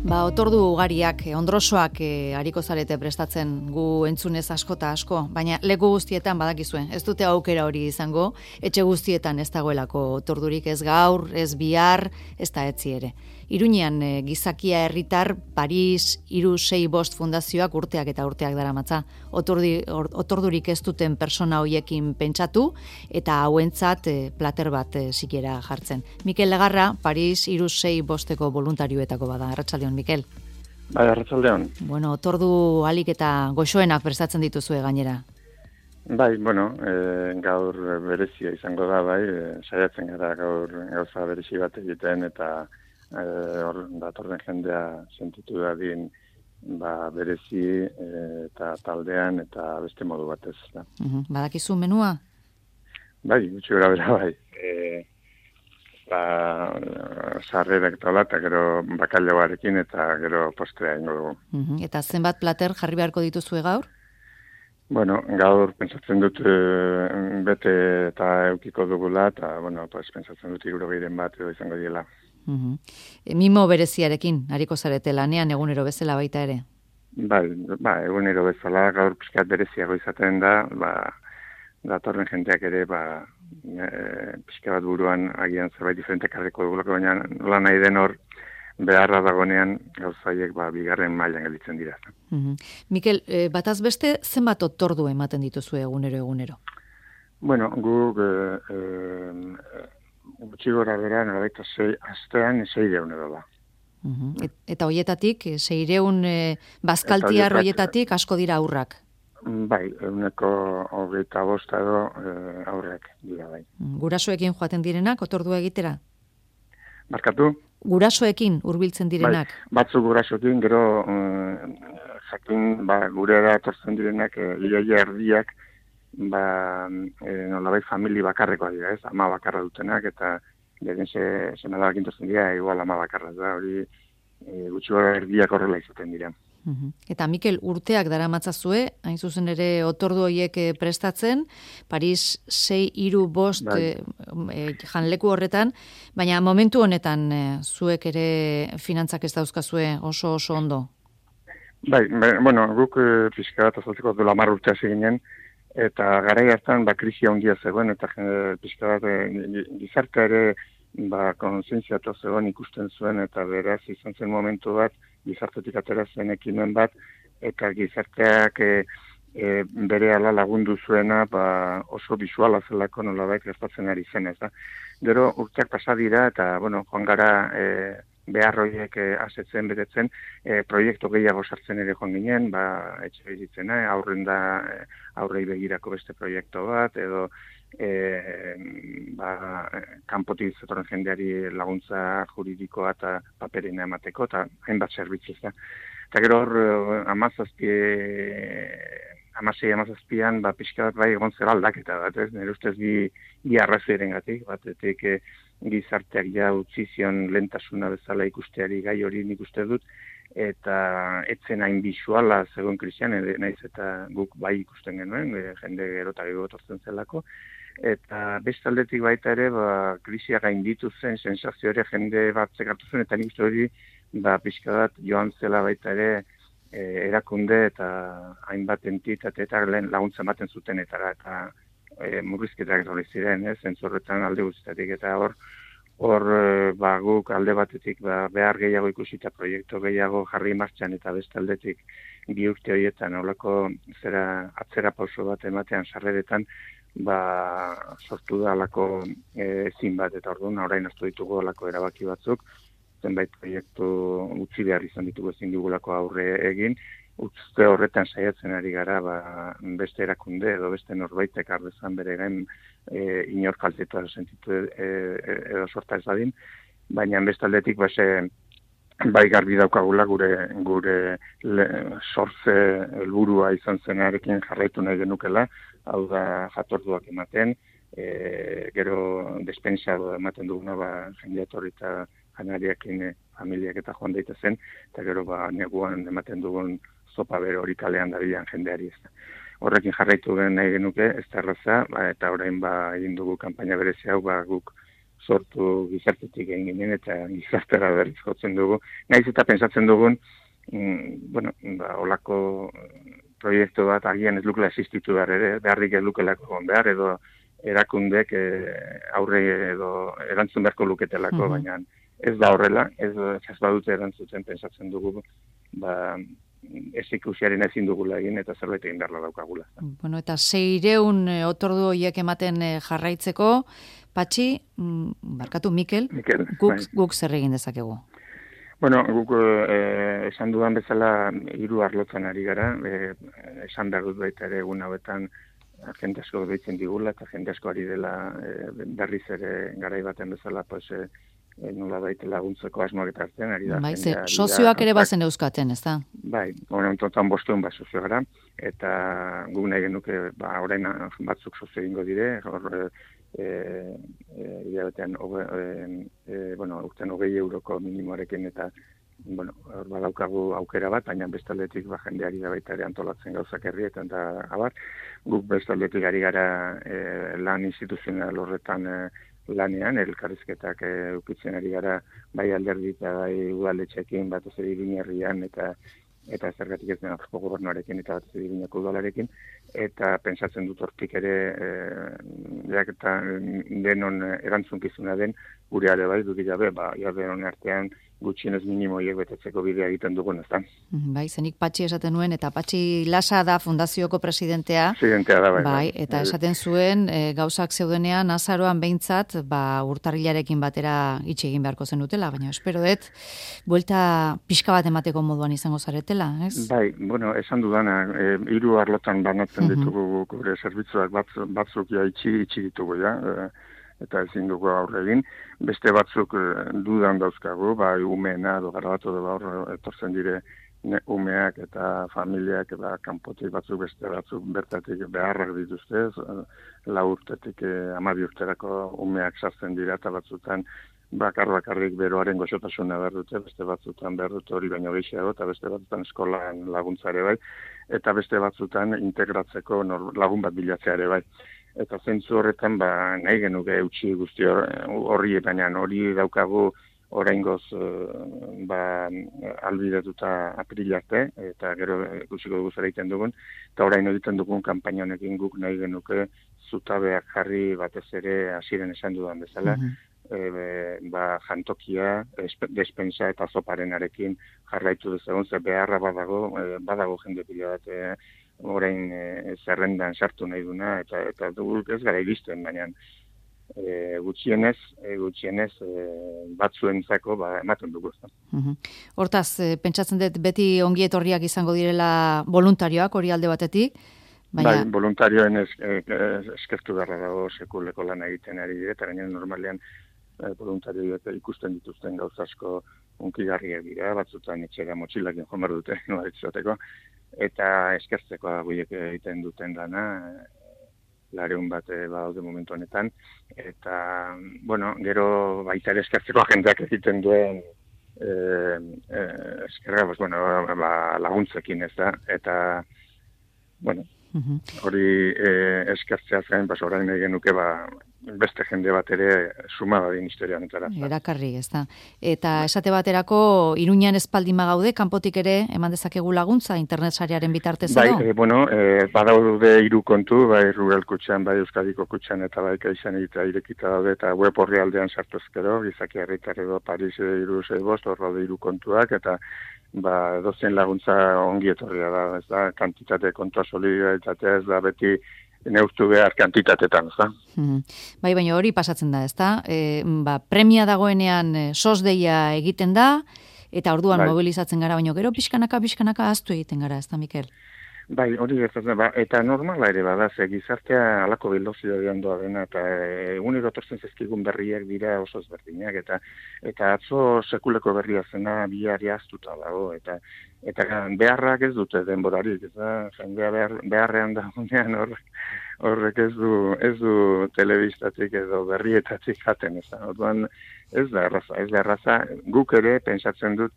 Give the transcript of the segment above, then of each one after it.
Otordu ugariak, ondrosoak hariko zarete prestatzen gu entzunez asko eta asko, baina leku guztietan badakizue, ez dute aukera hori izango, etxe guztietan ez dagoelako otordurik, ez gaur, ez bihar, ez da etzi ere. Iruñean gizakia herritar Paris 365 fundazioak urteak eta urteak daramatza. Otordurik ez duten persona hoiekin pentsatu eta hauentzat plater bat sikiera jartzen. Mikel Legarra, Paris 365eko voluntarioetako bada. Arratsaldeon, Mikel. Bai, arratsaldeon. Bueno, otordu alik eta goxoenak prestatzen dituzue gainera. Bai, gaur berezia izango da, bai, saiatzen gara gaur gauza berezi bat egiten eta datorren jendea sentitu dadin berezi eta taldean eta beste modu batez. Da. Badakizu menua? Bai, gutxi gara bera, bai. Sarrerak eta gero bakailaoarekin eta gero postrea ingo dugu. Eta zenbat plater jarri beharko dituzue gaur? Bueno, gaur pentsatzen dut bete eta eukiko dugula eta, pentsatzen dut 60 bat edo izango diela. Mimo bereziarekin, hariko zarete lanean egunero bezala baita ere? Bai, egunero bezala, gaur pixkat bereziago izaten da, datorren jenteak ere, pixka bat buruan agian zerbait diferentek harriko dugulako, baina nola nahi den hor, beharra dagonean gauzaiek bigarren mailan gelditzen dira. Mikel, bataz beste zenbat otordu ematen dituzue egunero? Bueno, guk gutxi gora bera, nolabaita astean 600 edo da. Eta hoietatik, 600 bazkaltiar hoietatik asko dira aurrak? Bai, 125 edo aurrak dira bai. Gurasoekin joaten direnak otordua egitera? Barkatu? Gurasoekin hurbiltzen direnak? Bai, batzuk gurasoekin, gero jakin gurera etortzen direnak iaia erdiak nolabait famili bakarrekoa dira, ez? Ama bakarra dutenak eta beren senadabakin tortzen dira, igual ama bakarra da, hori gutxi gara erdiak horrela izaten dira. Eta Mikel, urteak daramatzazue, hain zuzen ere otordu horiek prestatzen, Paris 665 janleku horretan, baina momentu honetan zuek ere finantzak ez dauzkazue oso ondo? Bai, guk pixka bat azaltzeko duela 10 urte hasi ginen, eta garai hartan krisia handia zegoen, eta pixka bat gizartea ere kontzientziatu zegoen ikusten zuen, eta beraz izan zen momentu bat, gizartetik atera zen ekimen bat, eta gizarteak bere ala lagundu zuena oso bisuala zelako nolabait gertatzen ari zen, ez da. Gero urteak pasa dira, eta joan gara behar horiek asetzen, betetzen, proiektu gehiago sartzen ere joan ginen, etxe bizitzena, aurrei begirako beste proiektu bat, edo kanpotik zetorren jendeari laguntza juridikoa eta paperina emateko, eta hainbat zerbitzu ez da. Eta gero hor, 17an, pixka bat egon zera aldaketa bat, ez? Nire ustez bi arrazoiren gatik, batetik gizarteak utzi zion lehentasuna bezala ikusteari gai hori nik uste dut, eta etzen hain bisuala zegoen krisian, naiz eta guk bai ikusten genuen, jende gero eta gero etortzen zelako, eta beste aldetik baita ere, krisia gainditu zen, sensazio ere jende bat zekartu zen, eta nik uste hori, pixka bat joan zela baita ere, erakunde eta hainbat entitate eta laguntza ematen zutenetara, eta murrizketak hori ziren, zentzorretan alde guztietatik, eta hor guk alde batetik behar gehiago ikusita proiektu gehiago jarri martxan eta beste aldetik 2 urte horietan holako atzera pauso bat ematean sarreretan sortu da alako ezin bat, eta orduan orain hartu ditugu alako erabaki batzuk, zenbait proiektu utzi behar izan ditugu ezin dugulako aurre egin, utzte horretan saiatzen ari gara beste erakunde edo beste norbaitek ardezan bere gain inor kaltetua sentitu edo sorta ez dadin, baina beste aldetik bai garbi daukagula gure sortze helburua izan zenarekin jarraitu nahi genukela, hau da jatorduak ematen, gero despensa ematen duguna jendea etorri eta janariakin familiak eta joan daitezen, eta gero neguan ematen dugun zopa bero hori kalean dabilan jendeari ez da. Horrekin jarraitu nahi genuke, ez da erraza, eta orain egin dugu kanpaina berezi hau, guk sortu gizartetik egin ginen eta gizartera berriz jotzen dugu. Naiz eta pentsatzen dugun, olako proiektu bat agian ez lukela existitu behar ere, beharrik ez lukelako egon behar, edo erakundek aurre edo erantzun beharko luketelako, baina ez da horrela, ez badute erantzuten pentsatzen dugu, ez ikusiaren ezin dugula egin eta zerbait egin beharla daukagula. Bueno, eta 600 otordu horiek ematen jarraitzeko, Patxi, Mikel, guk zer egin dezakegu? Bueno, guk esan dudan bezala 3 arlotzen ari gara, esan behar dut baita ere egun hauetan jende asko deitzen digula eta jende asko ari dela berriz ere garai baten bezala, nola baita laguntzeko asmoak eta hartzen ari da. Bai, sozioak ere bazen euskaten, ez da? Bai, momentotan 500 sozio gara, eta guk nahi genuke, orain batzuk sozio egingo dire, hilabetean, urtean 20 euroko minimoarekin eta, badaukagu aukera bat, baina bestaldetik jendeari da baita ere antolatzen gauzak herrietan da abar. Guk bestaldetik ari gara lan instituzional horretan lanean, elkarrizketak ukitzen ari gara bai alderdi eta bai udaletxeekin, batez ere Iruñerrian eta zergatik ez den Arko gobernuarekin eta batez ere Iruñeko udalarekin, eta pentsatzen dut hortik ere eta denon erantzunkizuna den gure are bai, dudik gabe, denon artean gutxienez minimoiek betetzeko bidea egiten dugun, ez da. Bai, zenik Patxi esaten nuen, eta Patxi Lasa da fundazioko presidentea. Presidentea da, bai. Eta esaten zuen, gauzak zeudenean, azaroan behintzat, urtarrilarekin batera itxe egin beharko zenutela, baina espero dut, buelta pixka bat emateko moduan izango zaretela, ez? Bai, esan dudana, 3 arlotan banatzen ditugu gure zerbitzuak batzuk itxi ditugu, eta ezin dugu aurre egin. Beste batzuk dudan dauzkagu, bai umeena, garabatu etortzen dire umeak eta familiak, kanpotik batzuk beste batzuk bertatik beharrak dituzte, 4 urtetik 12 urterako umeak sartzen dira, eta batzutan bakarrik beroaren goxotasuna behar dute, beste batzutan behar dute hori baino gehiago, eta beste batzutan eskolan laguntzare bai, eta beste batzutan integratzeko lagun bat bilatzea ere bai. Eta zentzu horretan nahi genuke eutxi guzti horri, baina hori daukagu oraingoz albidetuta aprilarte, eta gero ikusiko dugu zer egiten dugun, eta orain egiten dugun kanpaina honekin guk nahi genuke zutabeak jarri batez ere hasieran esan dudan bezala, jantokia, despensa eta zoparenarekin jarraitu dezagun, ze beharra badago jende pila bat, orain zerrendan sartu nahi duna, eta duguk ez gara iristen, baina gutxienez batzuentzako ematen dugu. Hortaz, pentsatzen dut beti ongi etorriak izango direla voluntarioak hori alde batetik? Bai, voluntarioen eskertu beharra dago sekuleko lan egiten ari dira, eta gainen normalean voluntarioak ikusten dituzten gauzasko unkigarriak dira, batzutan etxera motxilakin jomar dute, noaretzateko, eta eskertzeko guiek egiten duten dana, 200 bat badaude momentu honetan, eta, gero baita ere eskertzeko jendeak egiten duen eskerra, laguntzekin ez da, eta, hori eskertzea zain, orain egin nuke, beste jende bat ere sumada din historia honetara. Erakarri, ez da. Eta esate baterako, Iruñan espaldin gaude, kanpotik ere, eman dezakegu laguntza, internet sarearen bitartez edo? Badaude 3 kontu, bai Rural Kutxan, bai Euskadiko Kutxan, eta bai Kaixan eta irekita daude, eta web horri aldean sartuzkero, gizaki herritar edo Paris 365, hor daude 3 kontuak, eta dozen laguntza ongi etorria da, ez da, kantitate kontua solidaritatea ez da beti neurtu behar kantitatetan, ez da. Bai, baina hori pasatzen da, ez da? Premia dagoenean sos deia egiten da, eta orduan mobilizatzen gara, baina gero pixkanaka ahaztu egiten gara, ez da, Mikel? Bai, hori gertatzen, eta normala ere bada, gizartea alako velozitatean doa dena, eta egunero etortzen zezkigun berriak dira oso ezberdinak, eta atzo sekuleko berria zena biari ahaztuta dago, eta beharrak ez dute denborarik, ez da, jendea beharrean dagoenean horrek ez du telebistatik edo berrietatik jaten, ez da, orduan ez da erraza, guk ere pentsatzen dut,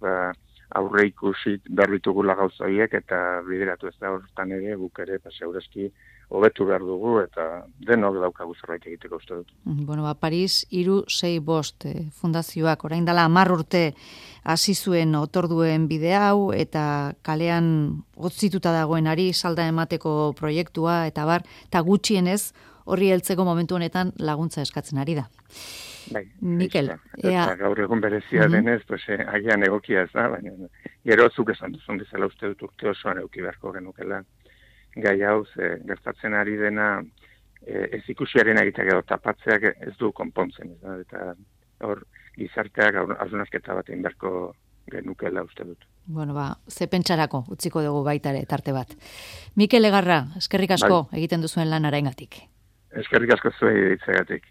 aurre ikusi berbitugula gauza horiek eta bideratu ez da hortan ere guk ere segurazki hobetu behar dugu eta denok daukagu zerbait egiteko uste dut. Bueno, Paris 365 fundazioak orain dela 10 urte hasi zuen otorduen bide hau eta kalean hotzituta dagoenari salda emateko proiektua eta eta gutxienez horri heltzeko momentu honetan laguntza eskatzen ari da. Bai, Mikel, eta gaur egun berezia denez, agian egokia ez da, baina gero zuk esan duzun bezala uste dut urte osoan eduki beharko genukela. Gai hau, gertatzen ari dena ez ikusiaren egitek edo tapatzeak ez du konpontzen. Eta hor gizarteak hausnarketa bat egin beharko genukela uste dut. Bueno, ze pentsarako utziko dugu baita ere tarte bat. Mikel Legarra, eskerrik asko egiten duzuen lan araingatik. Eskerrik asko zuei ditzegatik.